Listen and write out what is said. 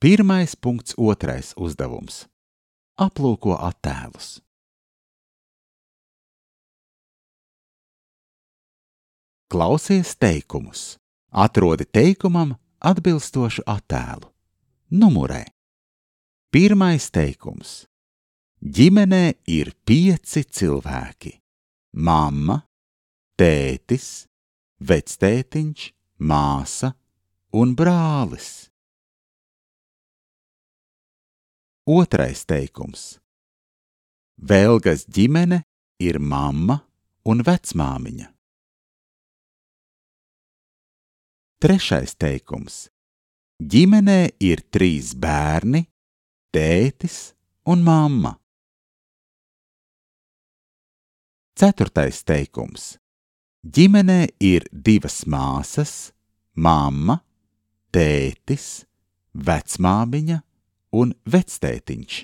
1.2. uzdevums. Aplūko attēlus. Klausies teikumus. Atrodi teikumam atbilstošu attēlu. Numurē. 1. teikums. Ģimenē ir 5 cilvēki. Mamma, tētis, vectētiņš, māsa un brālis. 2. teikums. Velgas ģimene ir mamma un vecmāmiņa. 3. teikums. Ģimenē ir 3 bērni, tētis un mamma. 4. teikums. Ģimenē ir 2 māsas, mamma, tētis, vecmāmiņa un vectētiņš.